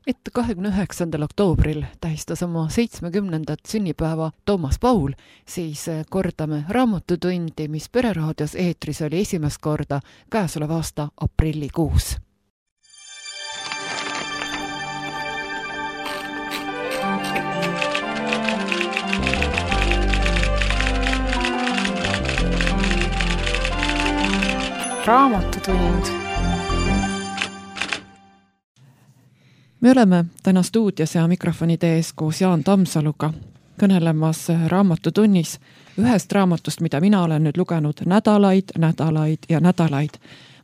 et 29. oktoobril tähistas oma 70. sünnipäeva Toomas Paul, siis kordame raamatutundi, mis Pereraadios eetris oli esimest korda käesoleva aasta aprillikuus. Raamatutund. Me oleme täna stuudios ja mikrofonide ees koos Jaan Tammsaluga kõnelemas raamatutunnis ühest raamatust, mida mina olen nüüd lugenud nädalaid.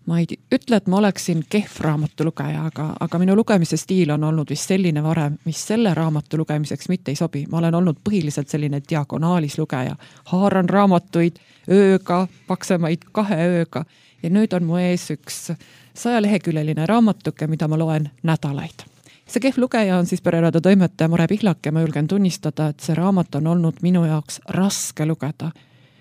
Ma ei ütle, et ma oleksin kehv raamatulugeja, aga minu lugemise stiil on olnud vist selline varem, mis selle raamatu lugemiseks mitte ei sobi. Ma olen olnud põhiliselt selline diagonaalis lugeja. Haaran raamatuid ööga, paksemaid 2 ööga. Ja nüüd on mu ees üks 100-leheküljeline raamatuke, mida ma loen nädalaid. See kehv lugeja on siis Pereraadio toimetaja Mare Pihlak ja ma julgen tunnistada, et see raamat on olnud minu jaoks raske lugeda.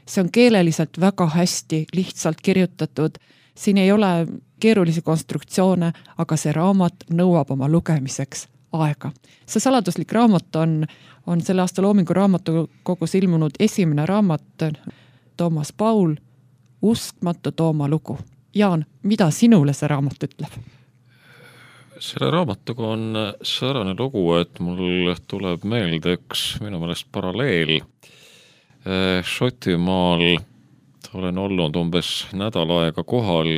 See on keeleliselt väga hästi, lihtsalt kirjutatud. Siin ei ole keerulisi konstruktsioone, aga see raamat nõuab oma lugemiseks aega. See saladuslik raamat on selle aasta Loomingu raamatukogus ilmunud esimene raamat Toomas Paul, Uskmatu Tooma lugu. Jaan, mida sinule see raamat ütleb? Selle raamatuga on säärane lugu, et mul tuleb meelde üks minu meelest paralleel. Šotimaal olen olnud umbes nädal aega kohal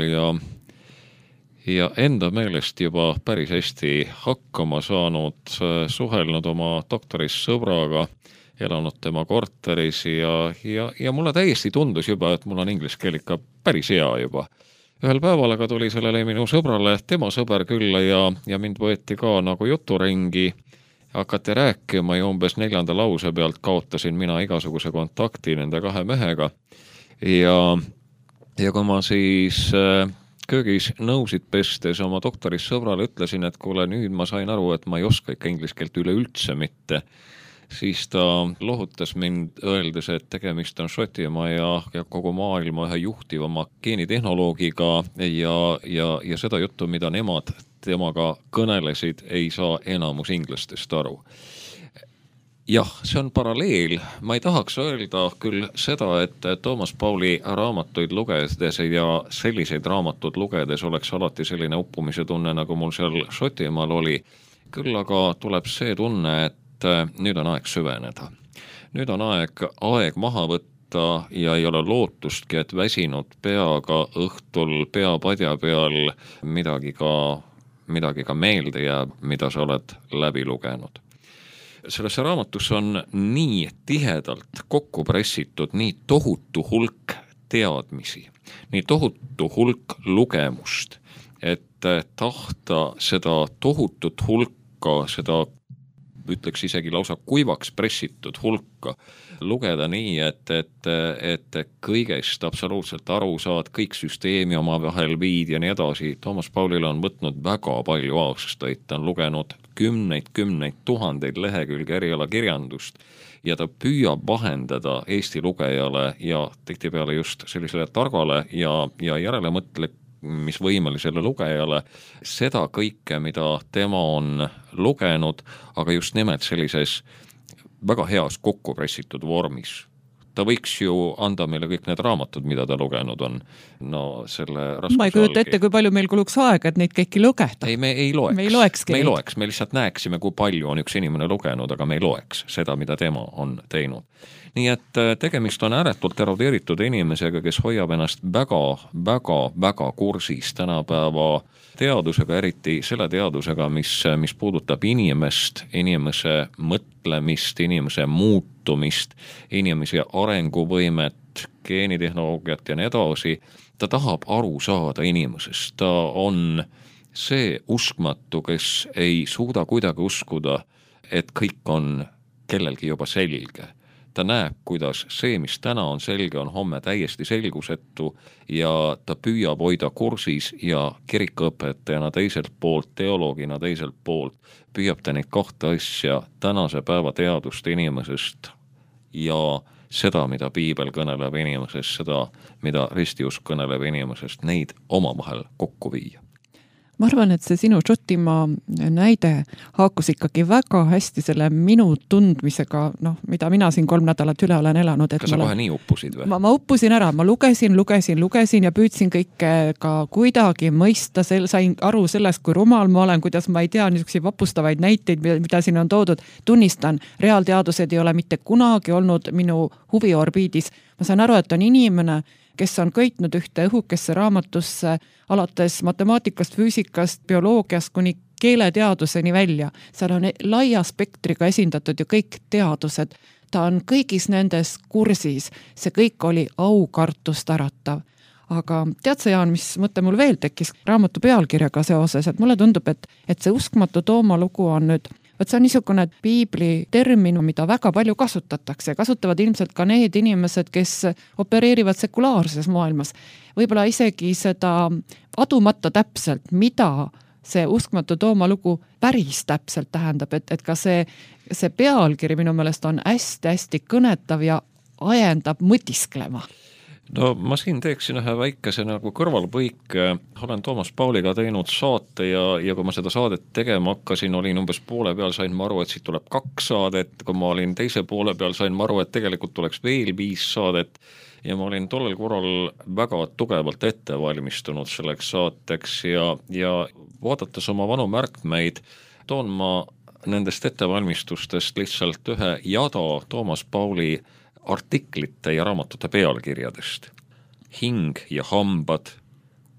ja enda meelest juba päris hästi hakkama saanud, suhelnud oma doktoris sõbraga, elanud tema korteris ja mulle täiesti tundus juba, et mul on inglise keel ikka päris hea juba. Ühel päeval aga tuli sellele minu sõbrale tema sõber külla ja mind võeti ka nagu juturingi, hakati rääkima ja umbes 4. lause pealt kaotasin mina igasuguse kontakti nende 2 mehega. Ja kui ma siis köögis nõusid pestes oma doktoris sõbrale ütlesin, et kuule, nüüd ma sain aru, et ma ei oska ikka inglise keelt üleüldse mitte, siis ta lohutas mind öeldes, et tegemist on Šotimaa ja kogu maailma ühe juhtivama geenitehnoloogiga ja seda juttu, mida nemad temaga kõnelesid, ei saa enamus inglastest aru. Jah, see on paralleel. Ma ei tahaks öelda küll seda, et Toomas Pauli raamatuid lugedes ja selliseid raamatud lugedes oleks alati selline uppumise tunne, nagu mul seal Šotimaal oli. Küll aga tuleb see tunne, et nüüd on aeg süveneda. Nüüd on aeg maha võtta ja ei ole lootustki, et väsinud peaga õhtul peapadja peal midagi ka meelde jääb, mida sa oled läbi lugenud. Sellesse raamatus on nii tihedalt kokku pressitud nii tohutu hulk teadmisi, nii tohutu hulk lugemust, et tahta seda tohutut hulka, seda ütleks isegi lausa kuivaks pressitud hulka lugeda nii, et kõigest absoluutselt aru saad, kõik süsteemi oma vahel viid ja nii edasi. Toomas Paulil on võtnud väga palju aastaid, ta on lugenud kümneid tuhandeid lehekülge erialakirjandust ja ta püüab vahendada Eesti lugejale ja tihtipeale just sellisele targale ja järelemõtlemisvõimelisele lugejale seda kõike, mida tema on lugenud, aga just nimelt sellises väga heas kokku pressitud vormis. Ta võiks ju anda meile kõik need raamatud, mida ta lugenud on. No selle ma ei kujuta ette, kui palju meil kuluks aega, et neid kõiki lugeda. Ei, me ei loeks. Me ei loeks. Me lihtsalt näeksime, kui palju on üks inimene lugenud, aga me ei loeks seda, mida tema on teinud. Nii et tegemist on ääretult erudeeritud inimesega, kes hoiab ennast väga kursis tänapäeva teadusega, eriti selle teadusega, mis puudutab inimest, inimese mõtlemist, inimese muutumist, inimese arenguvõimet, geenitehnoloogiat ja nii edasi. Ta tahab aru saada inimesest. Ta on see uskmatu, kes ei suuda kuidagi uskuda, et kõik on kellelgi juba selge. Ta näeb, kuidas see, mis täna on selge, on homme täiesti selgusetu ja ta püüab hoida kursis ja kirikuõpetajana teiselt poolt, teoloogina teiselt poolt, püüab ta neid 2 asja, tänase päeva teadust inimesest ja seda, mida piibel kõneleb inimesest, seda, mida ristiusk kõneleb inimesest, neid omavahel kokku viia. ma arvan, et see sinu Šotimaa näide haakus ikkagi väga hästi selle minu tundmisega, mida mina siin 3 nädalat üle olen elanud. Kas sa kohe nii uppusid või? Ma uppusin ära, ma lugesin ja püüdsin kõike ka kuidagi mõista, sain aru sellest, kui rumal ma olen, kuidas ma ei tea niisuguseid vapustavaid näiteid, mida siin on toodud. Tunnistan, reaalteadused ei ole mitte kunagi olnud minu huviorbiidis. Ma saan aru, et on inimene, kes on köitnud ühte õhukesse raamatusse alates matemaatikast, füüsikast, bioloogiast kuni keeleteaduseni välja. Seal on laia spektriga esindatud ju kõik teadused. Ta on kõigis nendes kursis. See kõik oli aukartust äratav. Aga tead sa, Jaan, mis mõte mul veel tekkis raamatu pealkirjaga seoses, et mulle tundub, et see Uskmatu Tooma lugu on nüüd see on niisugune piibli termin, mida väga palju kasutatakse. Kasutavad ilmselt ka need inimesed, kes opereerivad sekulaarses maailmas. Võib-olla isegi seda adumata täpselt, mida see Uskmatu Tooma lugu päris täpselt tähendab, et ka see pealkiri minu meelest on hästi-hästi kõnetav ja ajendab mõtisklema. No ma siin teeksin ühe väikese nagu kõrvalpõike. Olen Toomas Pauliga teinud saate ja kui ma seda saadet tegema hakkasin, olin umbes poole peal, sain ma aru, et siit tuleb 2 saadet. Kui ma olin teise poole peal, sain ma aru, et tegelikult tuleks veel 5 saadet. Ja ma olin tollel korral väga tugevalt ette valmistunud selleks saateks ja vaadates oma vanu märkmeid, toon ma nendest ettevalmistustest lihtsalt ühe jada Toomas Pauli artiklite ja raamatute pealkirjadest. Hing ja hambad,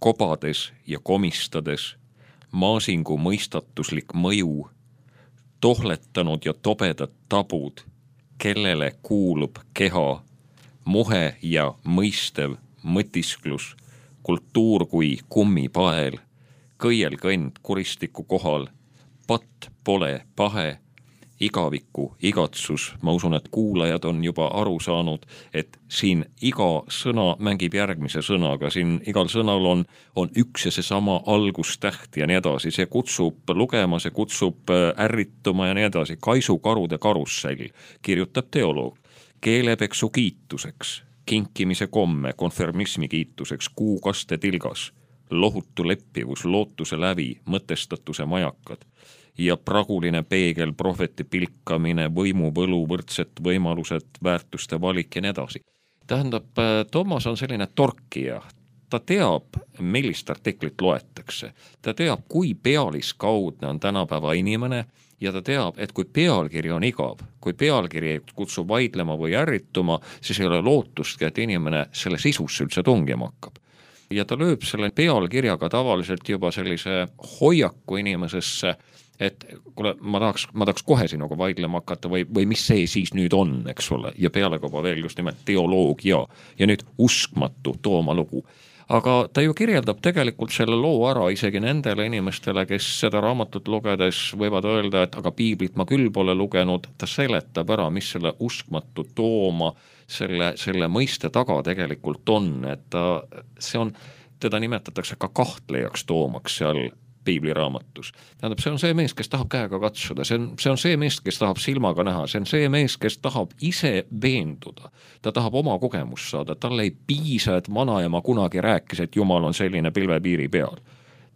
kobades ja komistades, maasingu mõistatuslik mõju, tohletanud ja tobedad tabud, kellele kuulub keha, muhe ja mõistev mõtisklus, kultuur kui kummipael, kõielkõnd kuristiku kohal, patt pole pahe, igaviku igatsus. Ma usun, et kuulajad on juba aru saanud, et siin iga sõna mängib järgmise sõnaga, siin igal sõnal on üks ja seesama algustäht ja nii edasi. See kutsub lugema, see kutsub ärrituma ja nii edasi. Kaisukarude karussell, kirjutab teoloog. Keelepeksu kiituseks, kinkimise komme, konfirmismi kiituseks, kuukaste tilgas, lohutu leppivus, lootuse lävi, mõtestatuse majakad ja praguline peegel, prohveti pilkamine, võimuvõlu, võrdset võimalused, väärtuste valik ja nii edasi. Tähendab, Toomas on selline torkija. Ta teab, millist artiklit loetakse. Ta teab, kui pealiskaudne on tänapäeva inimene ja ta teab, et kui pealkiri on igav, kui pealkiri kutsub vaidlema või ärrituma, siis ei ole lootustki, et inimene selle sisusse üldse tungima hakkab. Ja ta lööb selle pealkirjaga tavaliselt juba sellise hoiaku inimesesse, et kuule, ma tahaks kohe sinuga vaidlema hakata või mis see siis nüüd on, eks ole, ja pealekauba veel just nimelt teoloogia ja nüüd Uskmatu Tooma lugu. Aga ta ju kirjeldab tegelikult selle loo ära isegi nendele inimestele, kes seda raamatut lugedes võivad öelda, et aga piiblit ma küll pole lugenud. Ta seletab ära, mis selle Uskmatu Tooma selle mõiste taga tegelikult on, et teda nimetatakse ka kahtlejaks Toomaks seal piibliraamatus. Tähendab, see on see mees, kes tahab käega katsuda, see on see mees, kes tahab silmaga näha, see on see mees, kes tahab ise veenduda. Ta tahab oma kogemust saada, talle ei piisa, et vanaema kunagi rääkis, et Jumal on selline pilvepiiri peal.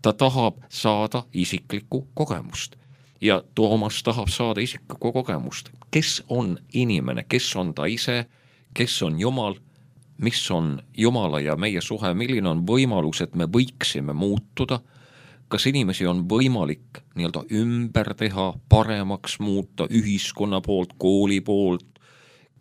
Ta tahab saada isiklikku kogemust. Ja Toomas tahab saada isiklikku kogemust. Kes on inimene, kes on ta ise, kes on Jumal, mis on Jumala ja meie suhe, milline on võimalus, et me võiksime muutuda, kas inimesi on võimalik nii-öelda ümber teha, paremaks muuta ühiskonna poolt, kooli poolt,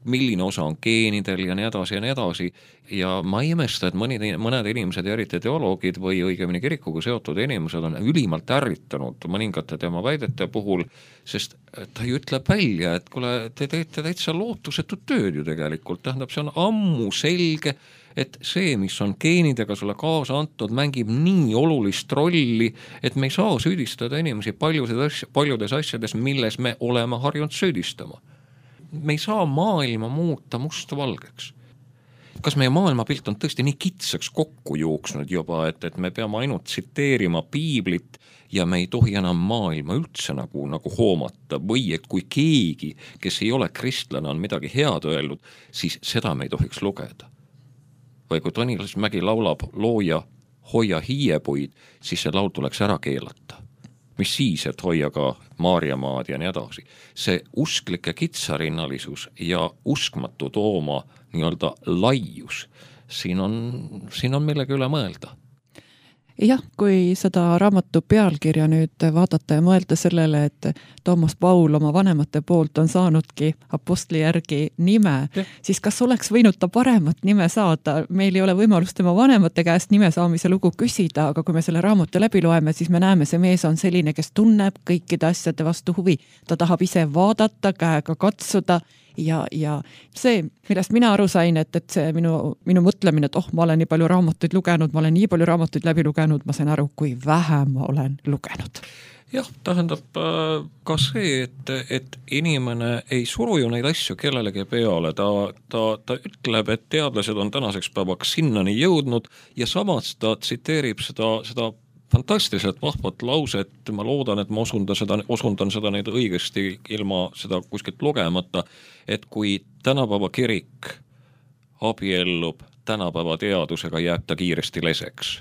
milline osa on geenidel ja nii edasi ja nii edasi. Ja ma ei imesta, et mõned inimesed, eriti teoloogid või õigemini kirikuga seotud inimesed on ülimalt ärritanud mõningate tema väidete puhul, sest ta ju ütleb välja, et kuule, te teete täitsa lootusetut tööd ju tegelikult. Tähendab, see on ammu selge, et see, mis on geenidega sulle kaasa antud, mängib nii olulist rolli, et me ei saa süüdistada inimesi paljudes asjades, milles me oleme harjunud süüdistama. Me ei saa maailma muuta mustvalgeks. Kas meie maailmapilt on tõesti nii kitsaks kokku jooksnud juba, et me peame ainult tsiteerima piiblit ja me ei tohi enam maailma üldse nagu hoomata või et kui keegi, kes ei ole kristlane, on midagi head öelnud, siis seda me ei tohiks lugeda. Või kui Tõnis Mägi laulab looja Hoia hiiepuid, siis see laul tuleks ära keelata. Mis siis, et hoia ka Maarjamaad ja nii edasi. See usklike kitsarinnalisus ja uskmatu tooma nii-öelda laius, siin on millegi üle mõelda. Jah, kui seda raamatu pealkirja nüüd vaadata ja mõelda sellele, et Toomas Paul oma vanemate poolt on saanudki apostli järgi nime, siis kas oleks võinud ta paremat nime saada? Meil ei ole võimalust tema vanemate käest nime saamise lugu küsida, aga kui me selle raamatu läbi loeme, siis me näeme, see mees on selline, kes tunneb kõikide asjade vastu huvi. Ta tahab ise vaadata, käega katsuda ja see, millest mina aru sain, et see minu mõtlemine, et ma olen nii palju raamatuid lugenud, ma olen nii palju raamatuid läbi lugenud, ma sain aru, kui vähe ma olen lugenud. Jah, tähendab ka see, et inimene ei suru ju neid asju kellelegi peale, ta ütleb, et teadlased on tänaseks päevaks sinnani jõudnud ja samas ta tsiteerib seda fantastiliselt vahvat lauset, ma loodan, et ma osundan seda nüüd õigesti ilma seda kuskilt lugemata, et kui tänapäeva kirik abiellub tänapäeva teadusega, jääb ta kiiresti leseks.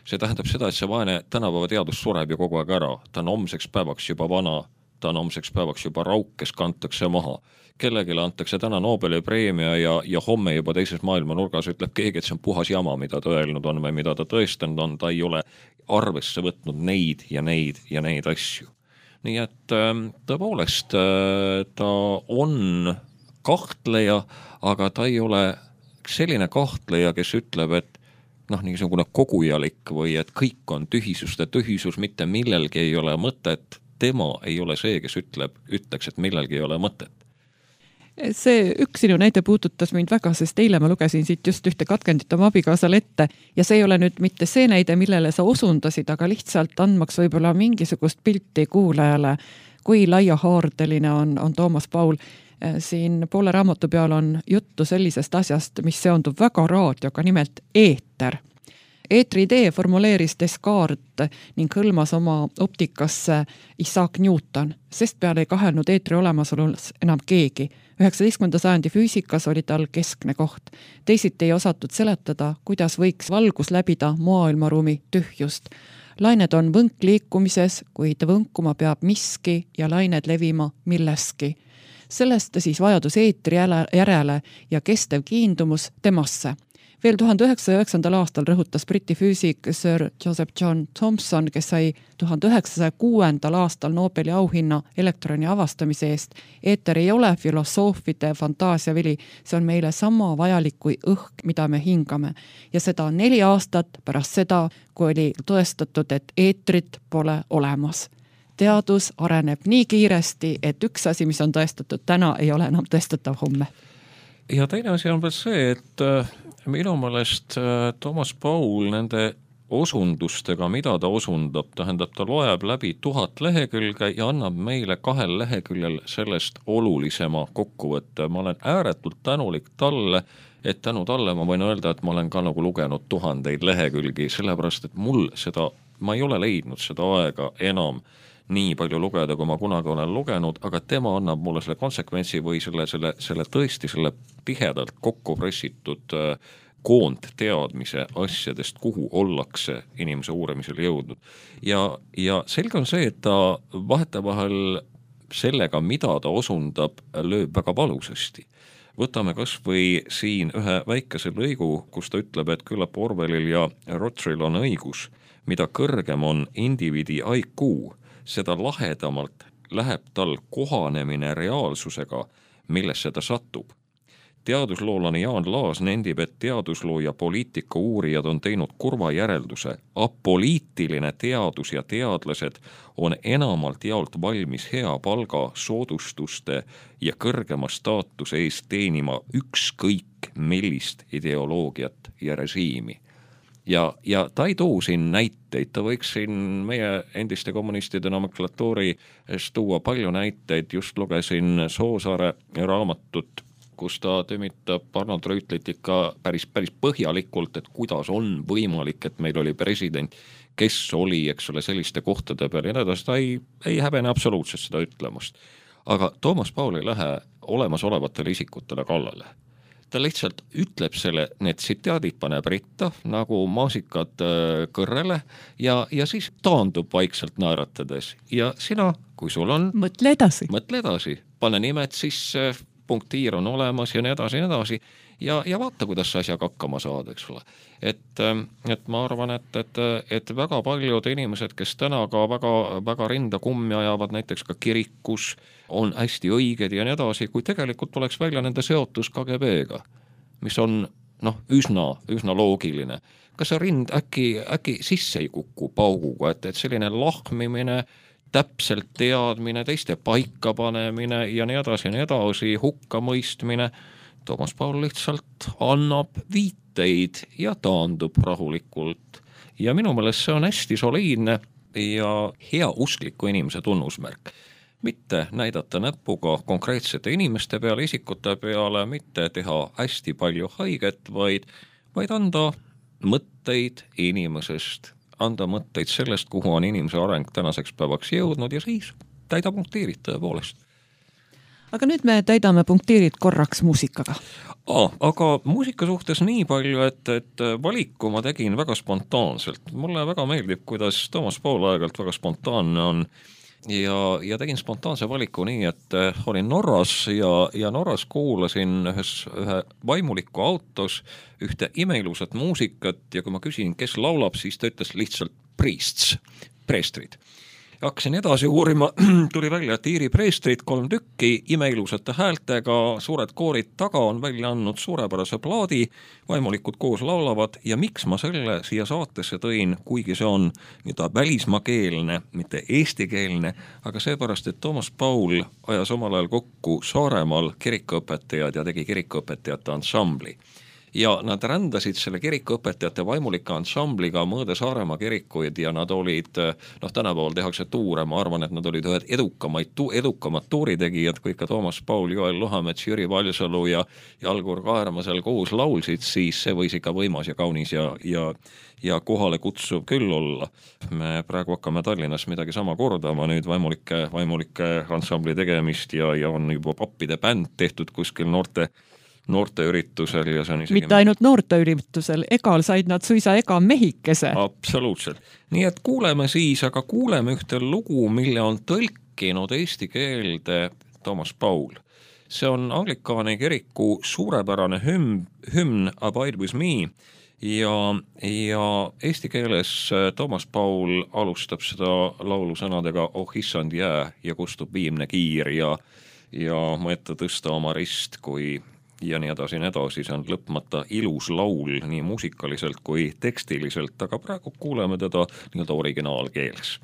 See tähendab seda, et see vaene tänapäeva teadus sureb ju kogu aeg ära, ta on homseks päevaks juba vana, ta on homseks päevaks juba rauk, kes kantakse maha. Kellegile antakse täna Nobeli preemia ja homme juba teises maailmanurgas ütleb keegi, et see on puhas jama, mida ta öelnud on või mida ta tõestanud on, ta ei ole arvesse võtnud neid ja neid ja neid asju. Nii et tõepoolest ta on kahtleja, aga ta ei ole selline kahtleja, kes ütleb, et niisugune kogujalik või et kõik on tühisust ja tühisus, mitte millelgi ei ole mõtet, tema ei ole see, kes ütleks, et millelgi ei ole mõtet. See üks sinu näide puudutas mind väga, sest eile ma lugesin siit just ühte katkendit oma abikaasale ette ja see ei ole nüüd mitte see näide, millele sa osundasid, aga lihtsalt andmaks võib-olla mingisugust pilti kuulajale, kui laiahaardeline on Toomas Paul. Siin poole raamatu peal on juttu sellisest asjast, mis seondub väga raadioga, nimelt eeter. Eetri idee formuleeris Descartes ning hõlmas oma optikasse Isaac Newton, sest peale ei kahelnud eetri olemasolus enam keegi. 19. sajandi füüsikas oli tal keskne koht. Teisiti ei osatud seletada, kuidas võiks valgus läbida maailmaruumi tühjust. Lained on võnkliikumises, kuid võnkuma peab miski ja lained levima milleski. Sellest siis vajadus eetri järele ja kestev kiindumus temasse. Veel 1909. aastal rõhutas Briti füüsik Sir Joseph John Thomson, kes sai 1906. aastal Nobeli auhinna elektroni avastamise eest. Eeter ei ole filosoofide fantaasiavili, see on meile sama vajalik kui õhk, mida me hingame. Ja seda 4 aastat pärast seda, kui oli tõestatud, et eetrit pole olemas. Teadus areneb nii kiiresti, et üks asi, mis on tõestatud täna, ei ole enam tõestatav homme. Ja teine asi on veel see, et minu meelest Toomas Paul nende osundustega, mida ta osundab, tähendab, ta loeb läbi 1000 lehekülge ja annab meile 2 leheküljel sellest olulisema kokkuvõtte. Ma olen ääretult tänulik talle, et tänu talle ma võin öelda, et ma olen ka nagu lugenud 1000 lehekülgi, sellepärast, et ma ei ole leidnud seda aega enam nii palju lugeda, kui ma kunagi olen lugenud, aga tema annab mulle selle konsekventsi või selle tõesti selle tihedalt kokku pressitud koondteadmise asjadest, kuhu ollakse inimese uurimisel jõudnud. Ja selge on see, et ta vahetevahel sellega, mida ta osundab, lööb väga valusasti. Võtame kas või siin ühe väikese lõigu, kus ta ütleb, et küllap Orwellil ja Rothschild on õigus, mida kõrgem on indiviidi IQ, seda lahedamalt läheb tal kohanemine reaalsusega, millesse ta satub. Teadusloolane Jaan Laas nendib, et teadusloo ja poliitika uurijad on teinud kurva järelduse. Apoliitiline teadus ja teadlased on enamalt jaolt valmis hea palga, soodustuste ja kõrgema staatuse eest teenima ükskõik millist ideoloogiat ja režiimi. Ja ta ei too siin näiteid, ta võiks siin meie endiste kommunistide nomenklatuuri tuua palju näiteid, just lugesin Soosaare raamatut, kus ta tümitab Arnold Rüütlit ikka päris põhjalikult, et kuidas on võimalik, et meil oli president, kes oli, eks ole, selliste kohtade peal ja näedas, ta ei häbene absoluutselt seda ütlemast. Aga Toomas Paul ei lähe olemasolevatele isikutele kallale. ta lihtsalt ütleb selle, need tsitaadid paneb ritta nagu maasikad kõrrele ja siis taandub vaikselt naeratades ja sina, kui sul on mõtle edasi, pane nimed sisse, punktiir on olemas ja nii edasi ja vaata, kuidas sa asjaga hakkama saad, eks ole. Et ma arvan, et väga paljud inimesed, kes täna ka väga rinda kummi ajavad, näiteks ka kirikus, on hästi õiged ja nii edasi, kui tegelikult oleks välja nende seotus KGB-ga, mis on üsna loogiline. Kas see rind äkki sisse ei kuku pauguga, et selline lahmimine, täpselt teadmine, teiste paikapanemine ja nii edasi, hukkamõistmine, Toomas Paul lihtsalt annab viiteid ja taandub rahulikult. Ja minu meelest see on hästi soliidne ja heauskliku inimese tunnusmärk. Mitte näidata näpuga konkreetsete inimeste peale, isikute peale, mitte teha hästi palju haiget, vaid anda mõtteid inimesest, anda mõtteid sellest, kuhu on inimese areng tänaseks päevaks jõudnud ja siis täida punktiirid tõepoolest. Aga nüüd me täidame punktiirid korraks muusikaga. Aga muusika suhtes nii palju, et valiku ma tegin väga spontaanselt. Mulle väga meeldib, kuidas Toomas Paul aegalt väga spontaanne on ja tegin spontaanse valiku nii, et olin Norras ja Norras kuulasin ühe vaimuliku autos ühte imeilusat muusikat ja kui ma küsin, kes laulab, siis ta ütles lihtsalt preestrid. Hakkasin edasi uurima, tuli välja, et Iiri preestrid 3 tükki, imeilusate häältega, suured koorid taga on välja andnud suurepärase plaadi, vaimulikud koos laulavad ja miks ma selle siia saatesse tõin, kuigi see on välismaakeelne, mitte eestikeelne, aga seepärast, et Toomas Paul ajas omal ajal kokku Saaremaal kirikuõpetajad ja tegi kirikuõpetajate ansambli. Ja nad rändasid selle kirikuõpetajate vaimulika ansambliga mõõde Saaremaa kirikuid ja nad olid, tänapäeval tehakse tuure, ma arvan, et nad olid ühed edukamad tuuritegijad, kui ikka Toomas Paul, Joel Luhamets, Jüri Valsalu ja Algur Kaerma seal koos laulsid, siis see võis ikka võimas ja kaunis ja kohale kutsuv küll olla. Me praegu hakkame Tallinnas midagi sama kordama, nüüd vaimulike ansambli tegemist ja on juba pappide bänd tehtud kuskil noorteüritusel ja see on isegi... Mitte ainult noorteüritusel, egal said nad suisa ega mehikese. Absoluutselt. Nii et kuuleme ühte lugu, mille on tõlkinud eesti keelde Toomas Paul. See on Anglikaani kiriku suurepärane hümn Abide with me ja eesti keeles Toomas Paul alustab seda laulu sõnadega Oh issand jää ja kustub viimne kiir ja mõetta tõsta oma rist, kui ja nii edasi, see on lõpmata ilus laul nii muusikaliselt kui tekstiliselt, aga praegu kuuleme teda nii-öelda originaalkeeles.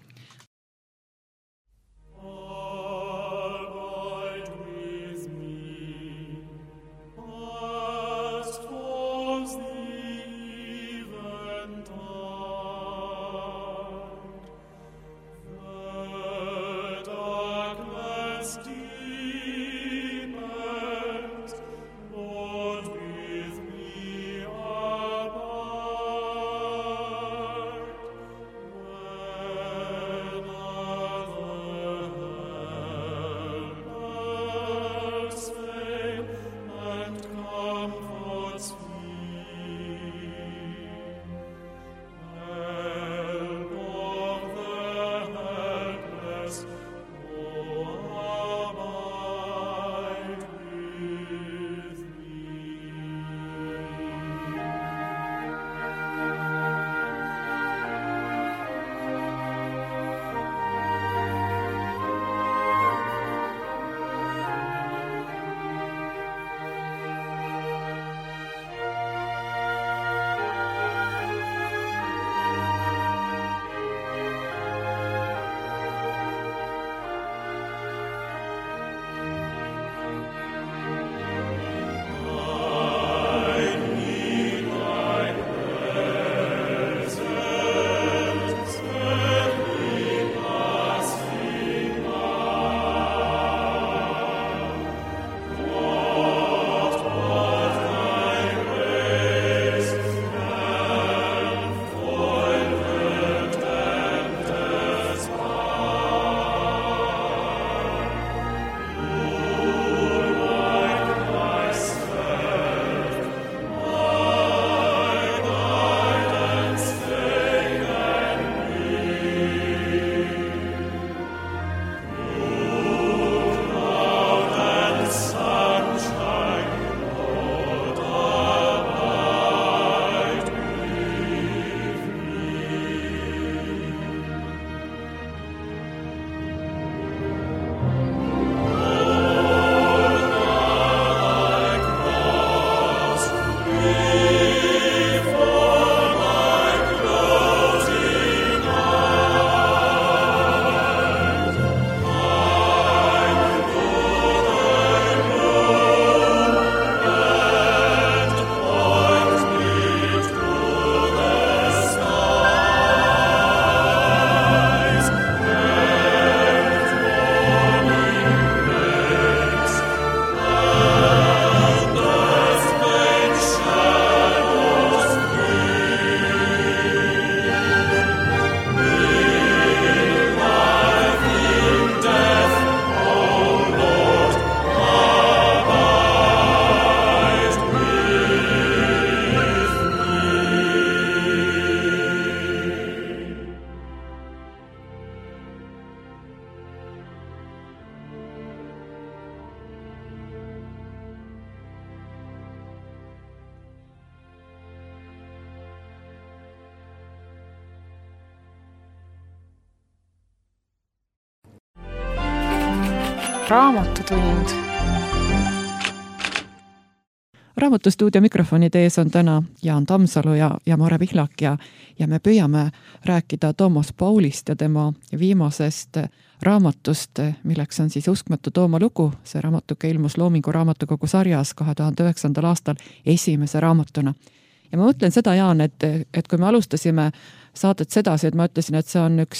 Raamatutund. Raamatustuudio mikrofonide ees on täna Jaan Tammsalu ja Mare Pihlak ja me püüame rääkida Toomas Paulist ja tema viimasest raamatust, milleks on siis Uskmatu Tooma lugu. See raamatuke ilmus Loomingu raamatukogu sarjas 2009. aastal esimese raamatuna. Ja ma mõtlen seda, Jaan, et kui me alustasime saadet sedasi, et ma ütlesin, et see on üks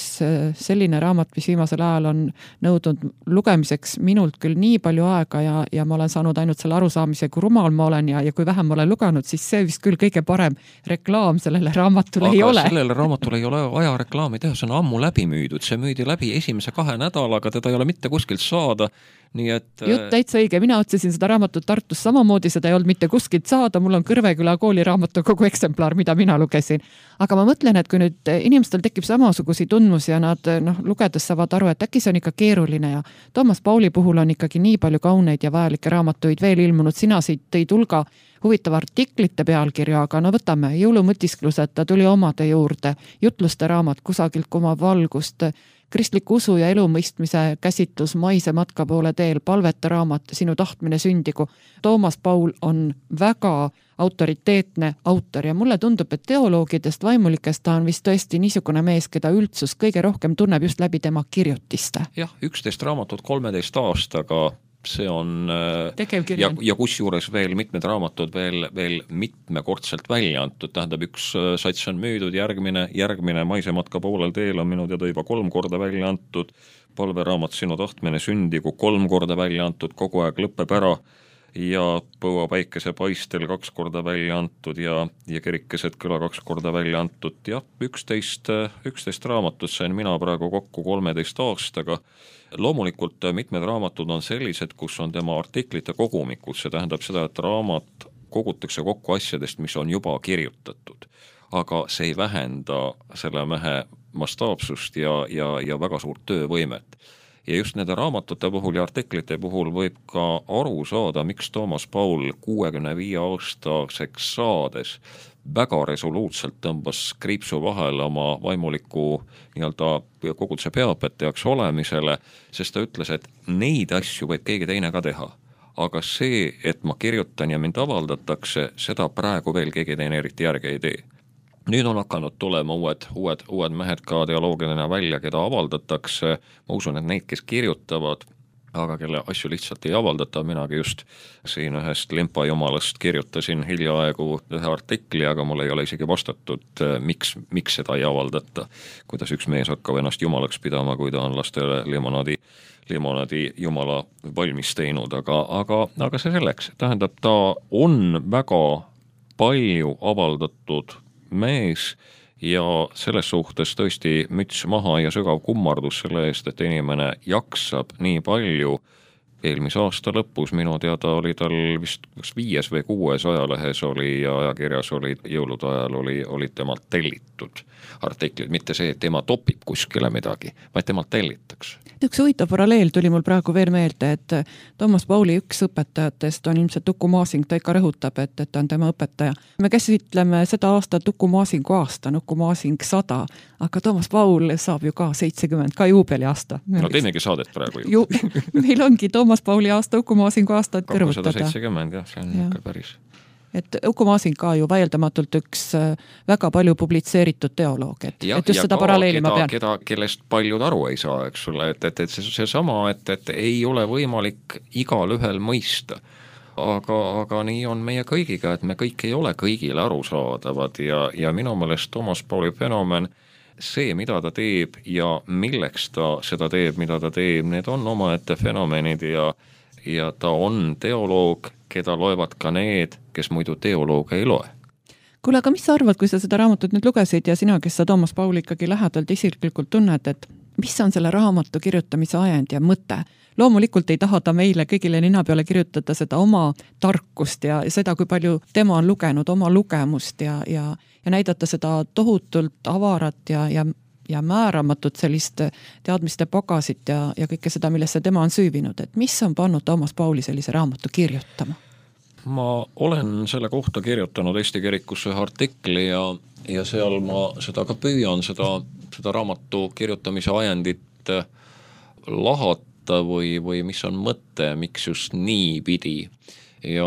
selline raamat, mis viimasel ajal on nõudnud lugemiseks minult küll nii palju aega ja ma olen saanud ainult selle arusaamise, kui rumal ma olen ja kui vähem ma olen lugenud, siis see vist küll kõige parem reklaam sellele raamatule ei ole. Aga sellele raamatule ei ole aja reklaami teha, see on ammu läbi müüdud, see müüdi läbi esimese 2 nädalaga, teda ei ole mitte kuskilt saada. Nii et jutt täitsa õige, mina otsisin seda raamatut Tartus samamoodi, seda ei olnud mitte kuskilt saada, mul on Kõrveküla kooli raamatukogu eksemplar, mida mina lugesin. Aga ma mõtlen, et kui nüüd inimestel tekib samasugusi tundmusi ja nad lugedes saavad aru, et äkki see on ikka keeruline ja Toomas Pauli puhul on ikkagi nii palju kauneid ja vajalikke raamatuid veel ilmunud, sina siit tõid hulga huvitava artiklite pealkirja, aga no võtame jõulumõtisklused, ta tuli omade juurde, jutluste raamat Kusagilt kumab valgust, kristliku usu ja elumõistmise käsitlus Maise matka poole teel, palvete raamat Sinu tahtmine sündigu. Toomas Paul on väga autoriteetne autor ja mulle tundub, et teoloogidest, vaimulikest ta on vist tõesti niisugune mees, keda üldsus kõige rohkem tunneb just läbi tema kirjutiste. Jah, 11 raamatut 13 aastaga, see on ja kusjuures veel mitmed raamatud veel mitmekordselt välja antud, tähendab üks sats on müüdud, järgmine Maise matka poolel teel on minu teada juba 3 korda välja antud, palveraamat Sinu tahtmine sündigu 3 korda välja antud, kogu aeg lõpeb ära ja Põua päikese paistel 2 korda välja antud ja Kerikeset kõla 2 korda välja antud ja 11 raamatut sain mina praegu kokku 13 aastaga. Loomulikult mitmed raamatud on sellised, kus on tema artiklite kogumikud, see tähendab seda, et raamat kogutakse kokku asjadest, mis on juba kirjutatud, aga see ei vähenda selle mehe mastaapsust ja väga suurt töövõimet. Ja just nende raamatute puhul ja artiklite puhul võib ka aru saada, miks Toomas Paul 65 aastaseks saades väga resoluutselt tõmbas kriipsu vahele oma vaimuliku nii-öelda koguduse peaõpetajaks olemisele, sest ta ütles, et neid asju võib keegi teine ka teha. Aga see, et ma kirjutan ja mind avaldatakse, seda praegu veel keegi teine eriti järgi ei tee. Nüüd on hakanud tulema uued mehed ka teoloogiline välja, keda avaldatakse. Ma usun, et neid, kes kirjutavad, aga kelle asju lihtsalt ei avaldata. Minagi just siin ühest Limpa jumalast kirjutasin hiljaaegu ühe artikli, aga mul ei ole isegi vastatud, miks seda ei avaldata. Kuidas üks mees hakkab ennast jumalaks pidama, kui ta on lastele limonaadi jumala valmis teinud, aga see selleks. Tähendab, ta on väga palju avaldatud mees ja selles suhtes tõesti müts maha ja sügav kummardus selle eest, et inimene jaksab nii palju. Eelmise aasta lõpus minu teada oli tal vist 5 või 6 ajalehes oli ja ajakirjas oli jõulude ajal oli temalt tellitud artiklid, mitte see, et tema topib kuskile midagi, vaid temalt tellitakse. Üks huvitav paralleel tuli mul praegu veel meelde, et Toomas Pauli üks õpetajatest on ilmselt Uku Masing, ta ikka rõhutab, et ta on tema õpetaja. Me käsitleme seda aastat Uku Masingu aasta, Uku Masing 100, aga Toomas Paul saab ju ka 70, ka juubeli aasta. No teemegi saadet praegu ju. Meil ongi Toomas Pauli aasta, Uku Masingu aasta, et kõrvutada. 270, jah, see on ikka päris. Et Uku Masing ka ju vaieldamatult üks väga palju publitseeritud teoloog, et just seda paralleeli ma pean. Kellest paljud aru ei saa, eks sulle, et see sama, et ei ole võimalik igal ühel mõista. Aga nii on meie kõigiga, et me kõik ei ole kõigile arusaadavad ja minu meelest Toomas Pauli fenomen, see, mida ta teeb ja milleks ta seda teeb, mida ta teeb, need on omaette fenomenid ja ta on teoloog, keda loevad ka need, kes muidu teolooga ei loe. Kuule, aga mis sa arvad, kui sa seda raamatut nüüd lugesid ja sina, kes sa Toomas Pauli ikkagi lähedalt isiklikult tunned, et mis on selle raamatu kirjutamise ajend ja mõte? Loomulikult ei taha ta meile kõigile nina peale kirjutada seda oma tarkust ja seda, kui palju tema on lugenud, oma lugemust ja näidata seda tohutult avarat ja määramatut sellist teadmiste pagasit ja kõike seda, millesse tema on süüvinud. Et mis on pannud Toomas Pauli sellise raamatu kirjutama? Ma olen selle kohta kirjutanud Eesti Kirikusse ühe artikli ja seal ma seda ka püüan, seda raamatu kirjutamise ajendit lahata võtta või mis on mõte, miks just nii pidi. Ja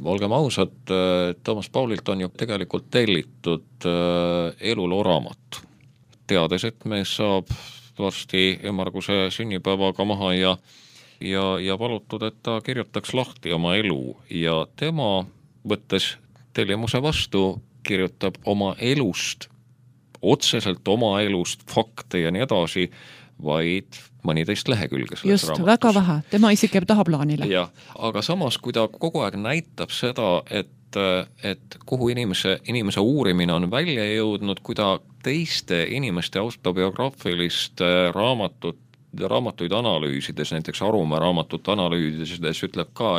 olgem ausad, Toomas Paulilt on ju tegelikult tellitud eluloo raamat. Teades, et mees saab varsti ümmarguse sünnipäevaga maha ja palutud, et ta kirjutaks lahti oma elu ja tema, võttes tellimuse vastu, kirjutab oma elust, otseselt oma elust, fakte ja nii edasi, vaid mõniteist lehekülge selles just, raamatus. Väga vähe, tema isik jääb tahaplaanile. Ja, aga samas, kui ta kogu aeg näitab seda, et kuhu inimese uurimine on välja jõudnud, kui ta teiste inimeste autobiograafilist raamatuid analüüsides, näiteks Arumäe raamatut analüüsides ütleb ka,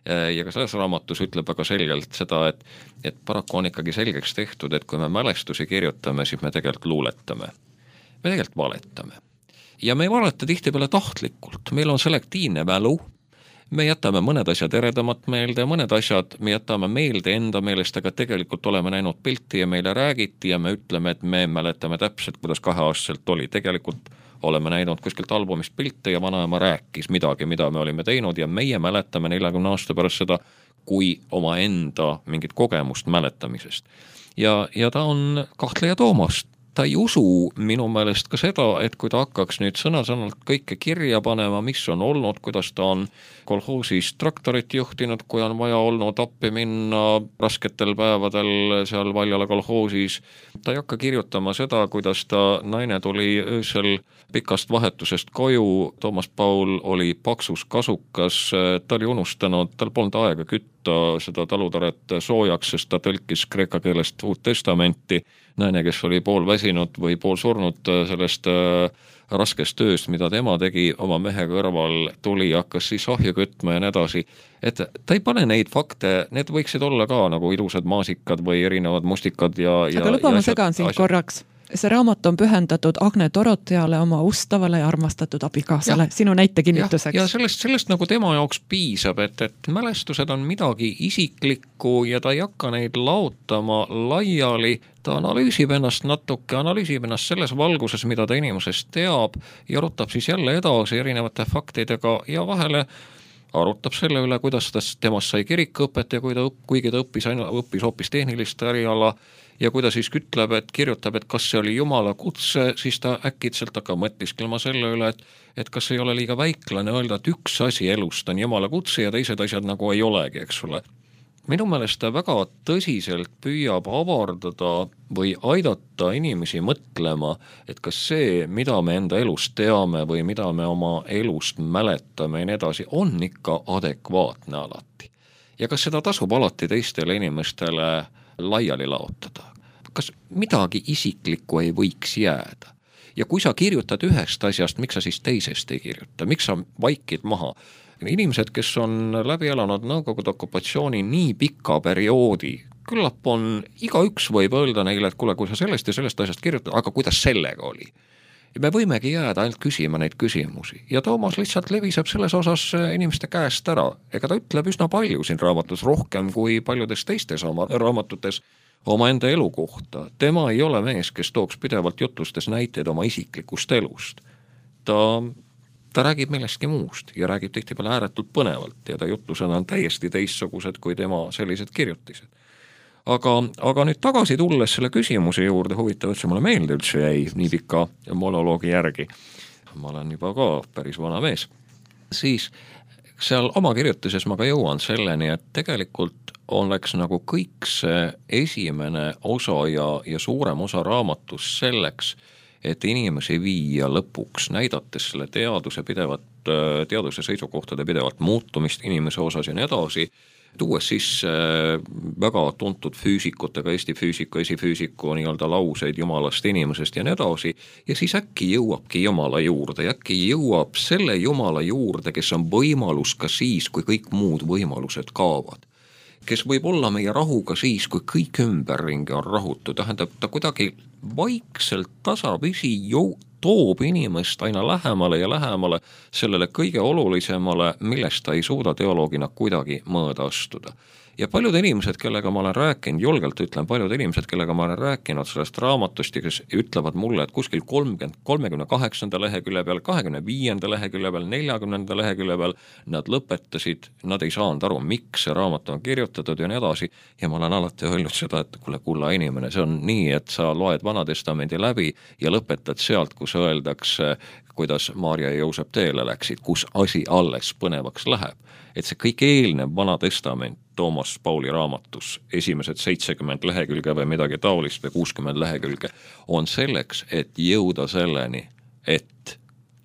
ja ka selles raamatus ütleb väga selgelt seda, et paraku on ikkagi selgeks tehtud, et kui me mälestusi kirjutame, siis me tegelikult luuletame. Me tegelikult valetame. Ja me ei valeta tihtipeale tahtlikult. Meil on selektiivne mälu, me jätame mõned asjad eredamat meelde, mõned asjad me jätame meelde enda meelest, aga tegelikult oleme näinud pilti ja meile räägiti ja me ütleme, et me mäletame täpselt, kuidas 2-aastaselt oli. Tegelikult oleme näinud kuskilt albumist pilte ja vanaema rääkis midagi, mida me olime teinud ja meie mäletame 40 aasta pärast seda kui oma enda mingit kogemust mäletamisest. Ja ta on kahtleja Toomast. Ta ei usu minu meelest ka seda, et kui ta hakkaks nüüd sõna-sõnalt kõike kirja panema, mis on olnud, kuidas ta on kolhoosis traktorit juhtinud, kui on vaja olnud appi minna rasketel päevadel seal Valjala kolhoosis. Ta ei hakka kirjutama seda, kuidas ta naine tuli öösel pikast vahetusest koju, Toomas Paul oli paksus kasukas, ta oli unustanud, tal polnud aega kütta seda talutaret soojaks, sest ta tõlkis kreeka keelest Uut Testamenti. Naine, kes oli pool väsinud või pool surnud sellest raskest tööst, mida tema tegi oma mehe kõrval, tuli, hakkas siis ahju kütma ja nii edasi. Et ta ei pane neid fakte, need võiksid olla ka nagu ilusad maasikad või erinevad mustikad aga luba ma segan siin korraks. See raamat on pühendatud Agne Doroteale, oma ustavale ja armastatud abikaasale, sinu näite kinnituseks. Ja sellest nagu tema jaoks piisab, et mälestused on midagi isiklikku ja ta ei hakka neid laotama laiali, ta analüüsib ennast natuke, analüüsib ennast selles valguses, mida ta inimesest teab ja arutab siis jälle edasi erinevate faktidega ja vahele arutab selle üle, kuidas temast sai kirikuõpet ja kuigi ta õppis hoopis tehnilist äriala ja kui ta siis kirjutab, et kas see oli Jumala kutse, siis ta äkitselt hakkab mõtisklema selle üle, et kas ei ole liiga väiklane öelda, et üks asi elust on Jumala kutse ja teised asjad nagu ei olegi, eks ole. Minu meelest ta väga tõsiselt püüab avardada või aidata inimesi mõtlema, et kas see, mida me enda elust teame või mida me oma elust mäletame ja nii edasi, on ikka adekvaatne alati. Ja kas seda tasub alati teistele inimestele laiali laotada? Kas midagi isiklikku ei võiks jääda? Ja kui sa kirjutad ühest asjast, miks sa siis teisest ei kirjuta? Miks sa vaikid maha? Inimesed, kes on läbi elanud Nõukogude okupatsiooni nii pika perioodi, küllap on, igaüks võib öelda neile, et kuule, kui sa sellest ja sellest asjast kirjutad, aga kuidas sellega oli? Ja me võimegi jääda ainult küsima neid küsimusi. Ja Toomas lihtsalt leviseb selles osas inimeste käest ära. Ega ta ütleb üsna palju siin raamatus, rohkem kui paljudes teistes oma raamatutes oma enda elu kohta. Tema ei ole mees, kes tooks pidevalt jutlustes näiteid oma isiklikust elust. Ta räägib millestki muust ja räägib tihtipeale ääretult põnevalt ja ta jutlused on täiesti teistsugused kui tema sellised kirjutised. Aga nüüd tagasi tulles selle küsimuse juurde, huvitav, et see mulle meelde üldse jäi nii pika monoloogi järgi. Ma olen juba ka päris vana mees. Siis seal oma kirjutises ma ka jõuan selleni, et tegelikult oleks nagu kõik see esimene osa ja suurem osa raamatus selleks, et inimesi viia lõpuks, näidates selle teaduse seisukohtade pidevat muutumist inimese osas ja nii edasi, tuues siis väga tuntud füüsikutega, Eesti füüsiku, esifüüsiku nii-öelda lauseid jumalast inimesest ja nii edasi, ja siis äkki jõuabki Jumala juurde, ja äkki jõuab selle Jumala juurde, kes on võimalus ka siis, kui kõik muud võimalused kaovad. Kes võib olla meie rahuga siis, kui kõik ümberringi on rahutu, tähendab, ta kuidagi vaikselt tasapisi toob inimest aina lähemale ja lähemale sellele kõige olulisemale, millest ta ei suuda teoloogina kuidagi mõõda astuda. Ja paljud inimesed, kellega ma olen rääkinud, julgelt ütlen, paljud inimesed, kellega ma olen rääkinud sellest raamatust ja kes ütlevad mulle, et kuskil 38. lehekülje peal, 25. lehekülje peal, 40. lehekülje peal nad lõpetasid, nad ei saanud aru, miks see raamat on kirjutatud ja nii edasi. Ja ma olen alati öelnud seda, et kuule, kulla inimene, see on nii, et sa loed Vanatestamendi läbi ja lõpetad sealt, kus öeldakse, kuidas Maarja ja Joosep teele läksid, kus asi alles põnevaks läheb. Et see kõik eelnev Vana Testament Toomas Pauli raamatus, esimesed 70 lehekülge või midagi taolist või 60 lehekülge, on selleks, et jõuda selleni, et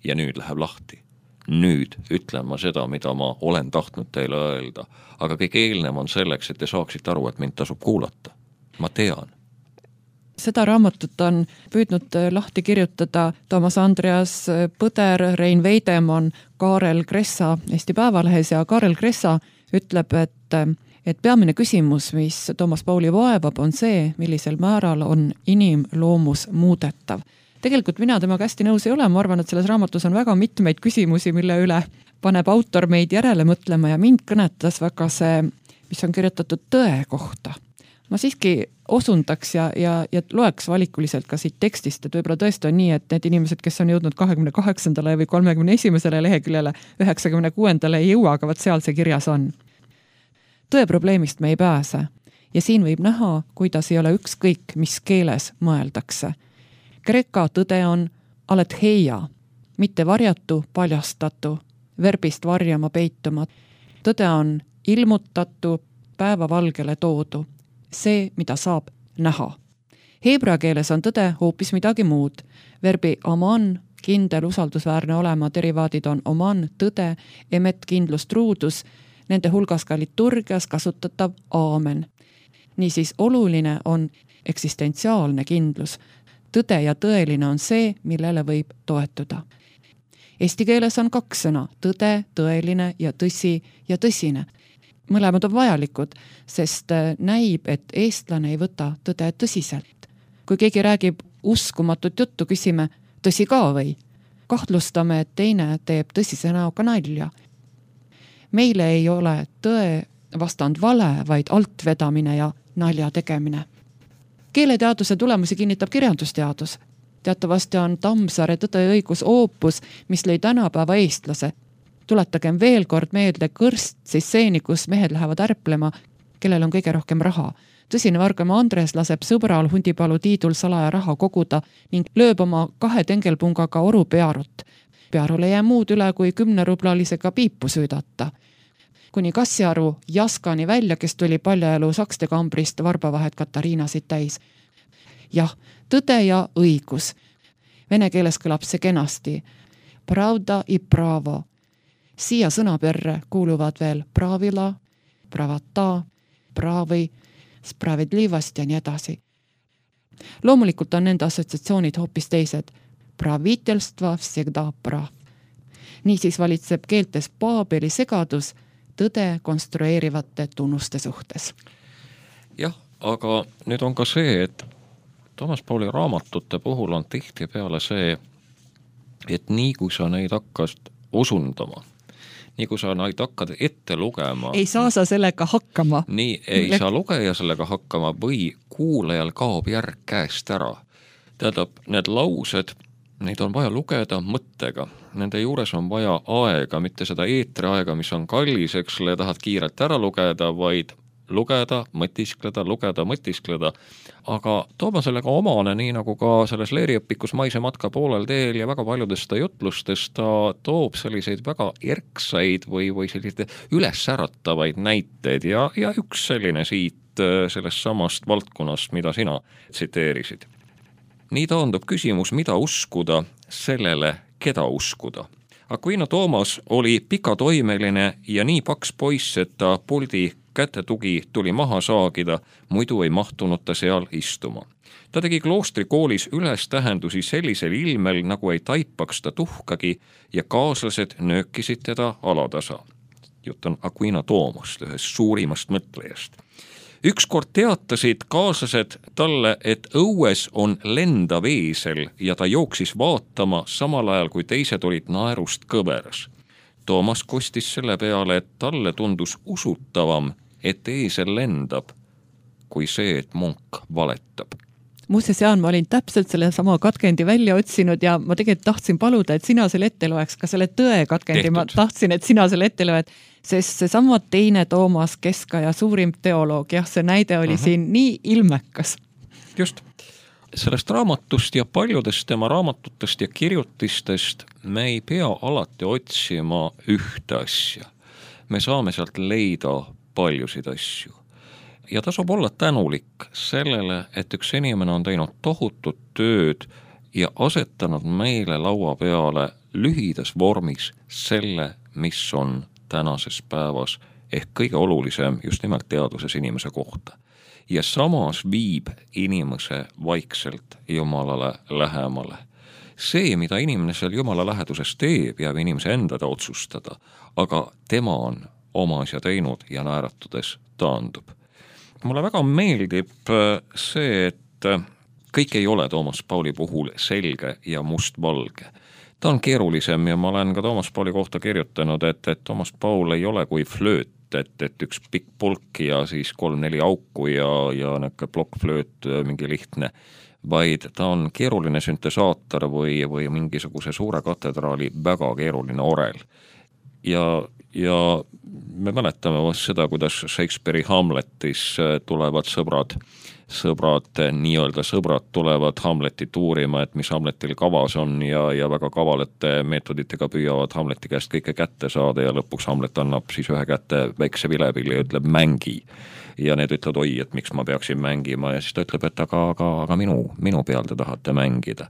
ja nüüd läheb lahti. Nüüd ütlen ma seda, mida ma olen tahtnud teile öelda, aga kõik eelnev on selleks, et te saaksite aru, et mind tasub kuulata. Ma tean. Seda raamatut on püüdnud lahti kirjutada Toomas Andreas Põder, Rein Veidemann, Kaarel Kressa Eesti Päevalehes ja Kaarel Kressa ütleb, et peamine küsimus, mis Toomas Pauli vaevab, on see, millisel määral on inimloomus muudetav. Tegelikult mina temaga hästi nõus ei ole, ma arvan, et selles raamatus on väga mitmeid küsimusi, mille üle paneb autor meid järele mõtlema ja mind kõnetas väga see, mis on kirjutatud tõe kohta. Ma siiski osundaks ja loeks valikuliselt ka siit tekstist, et võib-olla tõesti on nii, et need inimesed, kes on jõudnud 28. või 31. leheküljele, 96. ei jõua, aga võt seal see kirjas on. Tõe probleemist me ei pääse ja siin võib näha, kuidas ei ole ükskõik, mis keeles mõeldakse. Kreeka tõde on aletheia, mitte varjatu, paljastatu, verbist varjama peituma. Tõde on ilmutatu, päevavalgele toodu. See, mida saab näha. Heebrea keeles on tõde hoopis midagi muud. Verbi aman, kindel, usaldusväärne olema, derivaadid on oman, tõde, emet, kindlus, truudus, nende hulgas ka liturgias kasutatav aamen. Niisiis oluline on eksistentsiaalne kindlus. Tõde ja tõeline on see, millele võib toetuda. Eesti keeles on 2 sõna, tõde, tõeline ja tõsi ja tõsine. Mõlemad on vajalikud, sest näib, et eestlane ei võta tõde tõsiselt. Kui keegi räägib uskumatut juttu, küsime, tõsi ka või? Kahtlustame, et teine teeb tõsise näoga nalja. Meile ei ole tõe vastand vale, vaid altvedamine ja nalja tegemine. Keeleteaduse tulemusi kinnitab kirjandusteadus. Teatavasti on Tammsaare Tõde ja õigus oopus, mis lõi tänapäeva eestlase. Tuletagem veel kord meelde kõrst, siis seeni, kus mehed lähevad ärplema, kellel on kõige rohkem raha. Tõsine Vargamaa Andres laseb sõbral Hundipalu Tiidul salaja raha koguda ning lööb oma 2 tengelpungaga oru pearut. Pearul ei jää muud üle, kui 10-rublalisega piipu süüdata. Kuni Kassiaru Jaskani välja, kes tuli paljaelu sakste kambrist varbavahet Katariinasid täis. Jah, tõde ja õigus. Vene keeles kõlab see kenasti. Pravda i pravo. Siia sõnaperre kuuluvad veel pravila, pravata, pravi, spravedlivast ja nii edasi. Loomulikult on nende assotsiatsioonid hoopis teised. Pravitelstva всегда prav. Niisiis valitseb keeltes Paabeli segadus tõde konstrueerivate tunnuste suhtes. Jah, aga nüüd on ka see, et Toomas Pauli raamatute puhul on tihtipeale see, et nii kui sa neid hakkad osundama, nii kui sa neid hakkad ette lugema. Ei saa sa sellega hakkama. Nii ei saa lugeja sellega hakkama või kuulajal kaob järg käest ära. Tähendab, need laused, neid on vaja lugeda mõttega. Nende juures on vaja aega, mitte seda eetriaega, mis on kallis, eks le, tahad kiirelt ära lugeda, vaid lugeda, mõtiskleda. Aga Toomas sellega omane, nii nagu ka selles leeriõpikus Maise matka poolel teel ja väga paljudest jutlustest ta toob selliseid väga erksaid või selliseid ülessäratavaid näiteid ja üks selline siit sellest samast valdkonnast, mida sina tsiteerisid. Nii taandub küsimus, mida uskuda sellele, keda uskuda. Aquino Toomas oli pikatoimeline ja nii paks poiss, et ta puldi kätetugi tuli maha saagida, muidu ei mahtunud ta seal istuma. Ta tegi kloostrikoolis ülestähendusi sellisel ilmel, nagu ei taipaks ta tuhkagi ja kaaslased nöökisid teda alatasa. Jutt on Aquino Toomast, ühest suurimast mõtlejast. Ükskord teatasid kaaslased talle, et õues on lendav eesel ja ta jooksis vaatama samal ajal, kui teised olid naerust kõveras. Toomas kostis selle peale, et talle tundus usutavam, et eesel lendab, kui see, et munk valetab. Muuseas, Jaan, ma olin täpselt selle sama katkendi välja otsinud ja ma tegelikult tahtsin paluda, et sina selle ette loeks, ka selle tõe katkendi. Tehtud. Ma tahtsin, et sina selle ette loed, sest seesama teine Toomas Keskaja suurim teoloog, jah, see näide oli siin nii ilmekas. Just. Sellest raamatust ja paljudest tema raamatutest ja kirjutistest me ei pea alati otsima ühte asja. Me saame sealt leida paljusid asju. Ja tasub olla tänulik sellele, et üks inimene on teinud tohutut tööd ja asetanud meile laua peale lühidas vormis selle, mis on tänases päevas ehk kõige olulisem just nimelt teaduses inimese kohta. Ja samas viib inimese vaikselt Jumalale lähemale. See, mida inimene seal Jumala läheduses teeb, jääb inimese endada otsustada, aga tema on oma asja teinud ja naeratudes taandub. Mulle väga meeldib see, et kõik ei ole Toomas Pauli puhul selge ja mustvalge. Ta on keerulisem ja ma olen ka Toomas Pauli kohta kirjutanud, et Toomas Paul ei ole kui flööt, et üks pikk pulk ja siis 3-4 auku ja näkke plokkflööt mingi lihtne, vaid ta on keeruline süntesaator või mingisuguse suure katedraali väga keeruline orel. Ja me mäletame seda, kuidas Shakespeare'i Hamletis tulevad sõbrad, nii-öelda sõbrad tulevad Hamletit uurima, et mis Hamletil kavas on ja väga kavalate meetoditega püüavad Hamleti käest kõike kätte saada ja lõpuks Hamlet annab siis ühe kätte väikse vilepilli ja ütleb mängi. Ja need ütlevad, oi, et miks ma peaksin mängima ja siis ta ütleb, et aga minu peal te tahate mängida.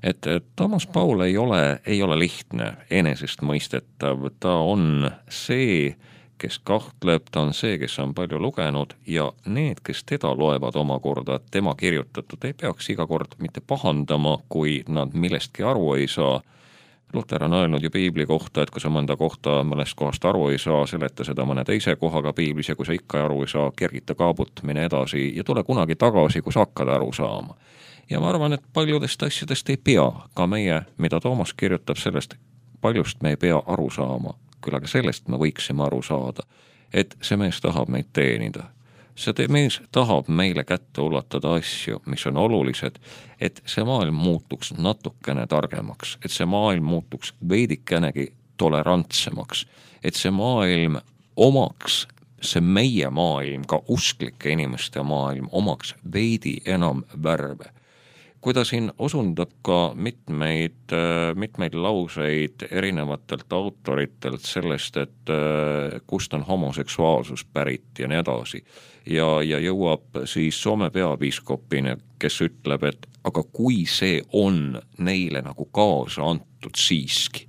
Et Toomas Paul ei ole lihtne, enesestmõistetav, ta on see, kes kahtleb, ta on see, kes on palju lugenud ja need, kes teda loevad omakorda, tema kirjutatud, ei peaks iga kord mitte pahandama, kui nad millestki aru ei saa. Luter on öelnud ju piibli kohta, et kui sa mõnda kohta mõnest kohast aru ei saa, seleta seda mõne teise kohaga piiblis ja kui sa ikka aru ei saa, kergita kaabut, mine edasi ja tule kunagi tagasi, kui sa hakkad aru saama. Ja ma arvan, et paljudest asjadest ei pea, ka meie, mida Toomas kirjutab sellest, paljust me ei pea aru saama, küll aga sellest me võiksime aru saada, et see mees tahab meid teenida. See mees tahab meile kätte ulatada asju, mis on olulised, et see maailm muutuks natukene targemaks, et see maailm muutuks veidikenegi tolerantsemaks, et see maailm omaks, see meie maailm, ka usklike inimeste maailm omaks veidi enam värve. Kui ta siin osundab ka mitmeid lauseid erinevatelt autoritelt sellest, et kust on homoseksuaalsus pärit ja nii edasi. Ja jõuab siis Soome peapiiskopina, kes ütleb, et aga kui see on neile nagu kaasa antud siiski,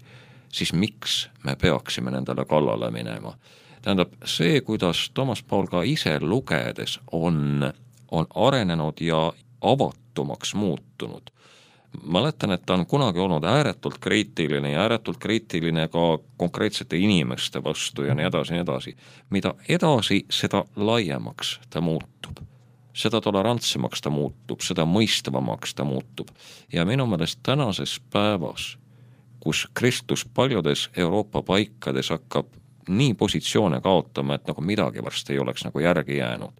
siis miks me peaksime nendele kallale minema? Tähendab, see, kuidas Toomas Paul ka ise lugedes on arenenud ja avatumaks muutunud. Mäletan, et ta on kunagi olnud ääretult kriitiline ka konkreetsete inimeste vastu ja nii edasi. Mida edasi, seda laiemaks ta muutub. Seda tolerantsemaks ta muutub, seda mõistavamaks ta muutub. Ja minu meelest tänases päevas, kus Kristus paljudes Euroopa paikades hakkab nii positsioone kaotama, et nagu midagi varsti ei oleks nagu järgi jäänud,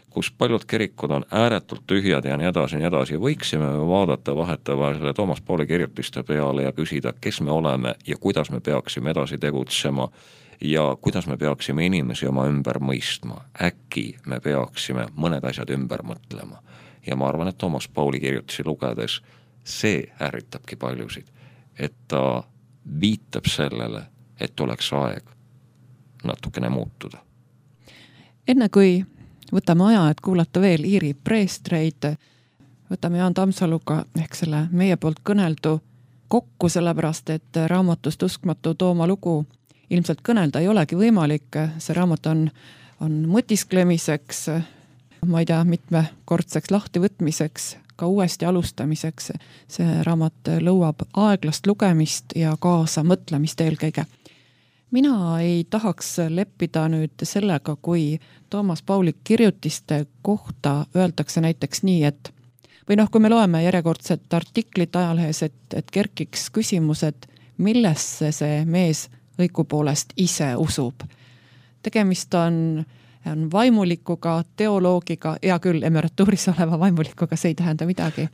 kus paljud kirikud on ääretult tühjad ja nii edasi, võiksime vaadata vahetavahel Toomas Pauli kirjutiste peale ja küsida, kes me oleme ja kuidas me peaksime edasi tegutsema ja kuidas me peaksime inimesi oma ümber mõistma. Äkki me peaksime mõned asjad ümber mõtlema. Ja ma arvan, et Toomas Pauli kirjutisi lugedes see ärritabki paljusid, et ta viitab sellele, et oleks aeg natukene muutuda. Enne kui võtame aja, et kuulata veel Iiri preestreid, võtame Jaan Tammsaluga ehk selle meie poolt kõneldu kokku, sellepärast et raamatust Uskmatu Tooma lugu ilmselt kõnelda ei olegi võimalik. See raamat on mõtisklemiseks, ma ei tea, mitmekordseks lahtivõtmiseks, ka uuesti alustamiseks. See raamat lõuab aeglast lugemist ja kaasa mõtlemist eelkõige. Mina ei tahaks leppida nüüd sellega, kui Toomas Pauli kirjutiste kohta öeldakse näiteks nii, et või kui me loeme järjekordset artiklit ajalehes, et kerkiks küsimus, et millesse see mees õigupoolest ise usub. Tegemist on on vaimulikuga, teoloogiga, hea küll, emeratuuris oleva vaimulikuga, see ei tähenda midagi.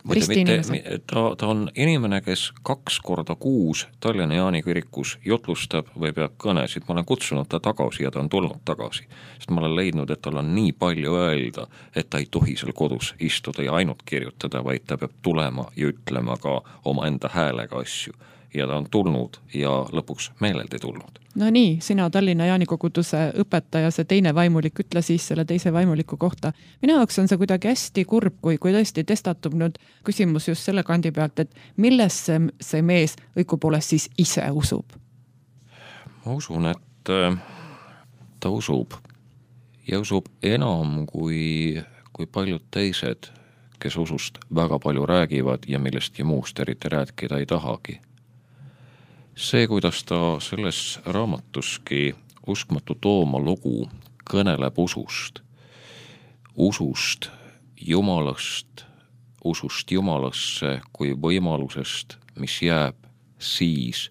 Ta on inimene, kes 2 korda kuus Tallinna Jaani kirikus jotlustab või peab kõnesid. Ma olen kutsunud ta tagasi ja ta on tulnud tagasi, sest ma olen leidnud, et tal on nii palju öelda, et ta ei tohi seal kodus istuda ja ainult kirjutada, vaid ta peab tulema ja ütlema ka oma enda häälega asju. Ja ta on tulnud ja lõpuks meeleldi tulnud. No nii, sina Tallinna Jaani koguduse õpetaja, see teine vaimulik, ütle siis selle teise vaimuliku kohta. Minu jaoks on see kuidagi hästi kurb, kui tõesti testatub nüüd küsimus just selle kandi pealt, et millesse see mees õigupoolest siis ise usub? Ma usun, et ta usub ja usub enam kui paljud teised, kes usust väga palju räägivad ja millestki muust eriti rääkida ei tahagi. See, kuidas ta selles raamatuski Uskmatu Tooma lugu kõneleb usust Jumalast, usust Jumalasse kui võimalusest, mis jääb siis,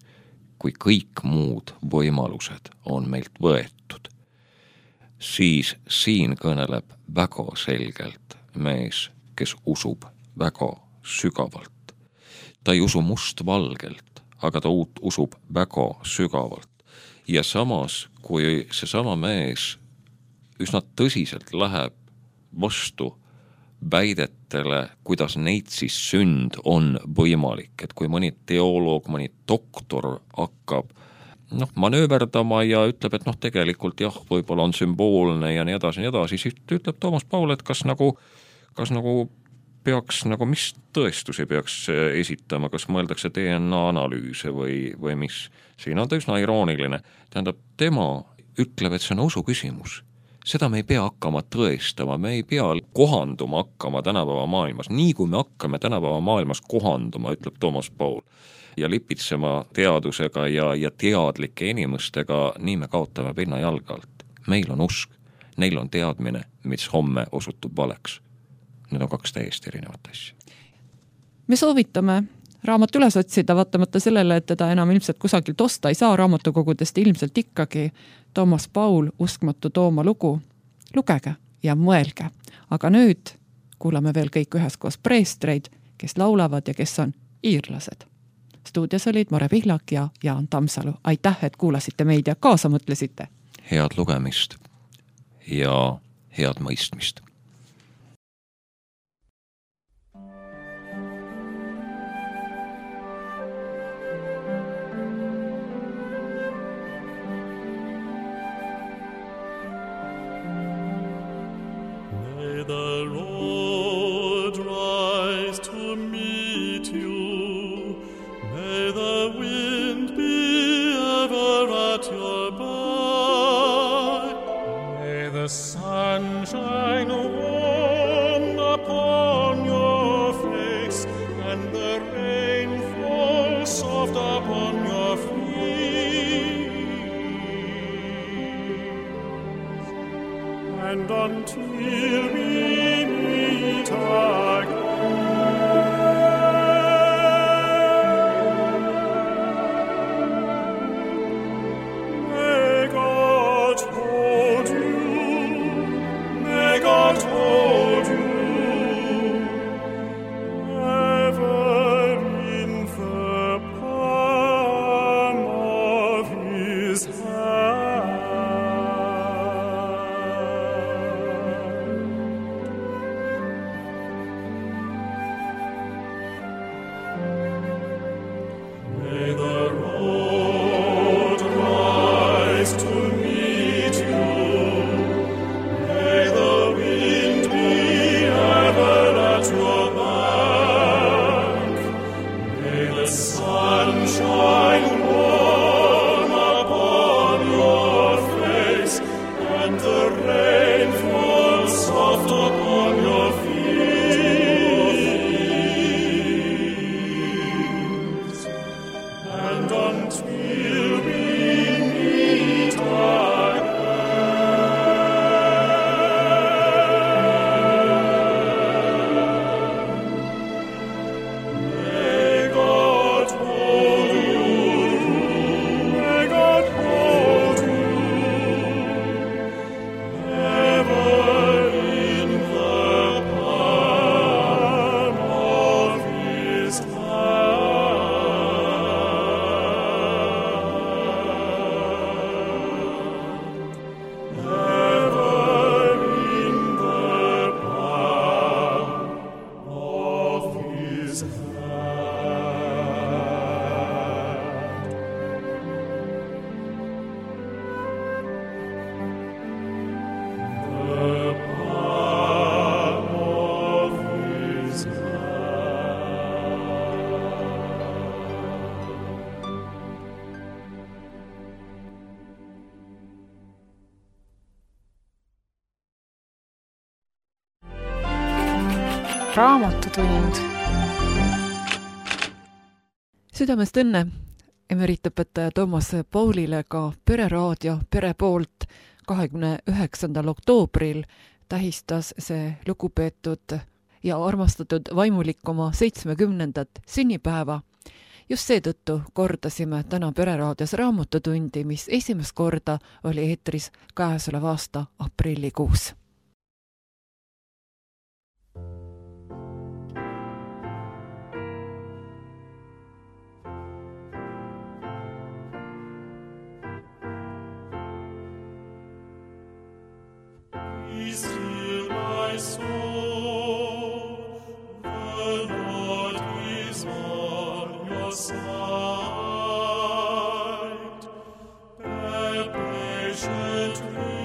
kui kõik muud võimalused on meilt võetud. Siis siin kõneleb väga selgelt mees, kes usub väga sügavalt. Ta ei usu mustvalgelt, aga ta usub väga sügavalt. Ja samas, kui seesama mees üsna tõsiselt läheb vastu väidetele, kuidas neid siis sünd on võimalik, et kui mõni teoloog, mõni doktor hakkab manööverdama ja ütleb, et tegelikult jah, võib-olla on sümboolne ja nii edasi, siis ütleb Toomas Paul, et kas peaks, mis tõestusi peaks esitama, kas mõeldakse DNA analüüse või mis. Siin on ta üsna irooniline. Tähendab, tema ütleb, et see on usu küsimus. Seda me ei pea hakkama tõestama, me ei pea kohanduma hakkama tänapäeva maailmas. Nii kui me hakkame tänapäeva maailmas kohanduma, ütleb Toomas Paul, ja lipitsema teadusega ja teadlike inimestega, nii me kaotame pinna jalga alt. Meil on usk, neil on teadmine, mis homme osutub valeks. Need on 2 täiesti erinevat asja. Me soovitame raamat üles otsida, vaatamata sellele, et teda enam ilmselt kusagilt osta ei saa raamatukogudest, ilmselt ikkagi Toomas Paul, Uskmatu Tooma lugu. Lugege ja mõelge. Aga nüüd kuulame veel kõik üheskoos preestreid, kes laulavad ja kes on iirlased. Stuudios olid Mare Pihlak ja Jaan Tammsalu. Aitäh, et kuulasite meid ja kaasa mõtlesite. Head lugemist ja head mõistmist. The Lord rise to meet you. May the wind be ever at your back. May the sun shine warm upon your face, and the rain fall soft upon your feet. And until we meet again, may God hold you, may God hold you, ever in the palm of his hand. Raamatutund. Südamest õnne emeritaõpetaja Toomas Paulile ka Pereraadio Pere poolt 29. oktoobril tähistas see lugupeetud ja armastatud vaimulik oma 70. sünnipäeva. Just seetõttu kordasime täna Pereraadios raamatutundi, mis esimest korda oli eetris käesoleva aasta aprillikuus. Still my soul, the Lord is on your side. Bear patiently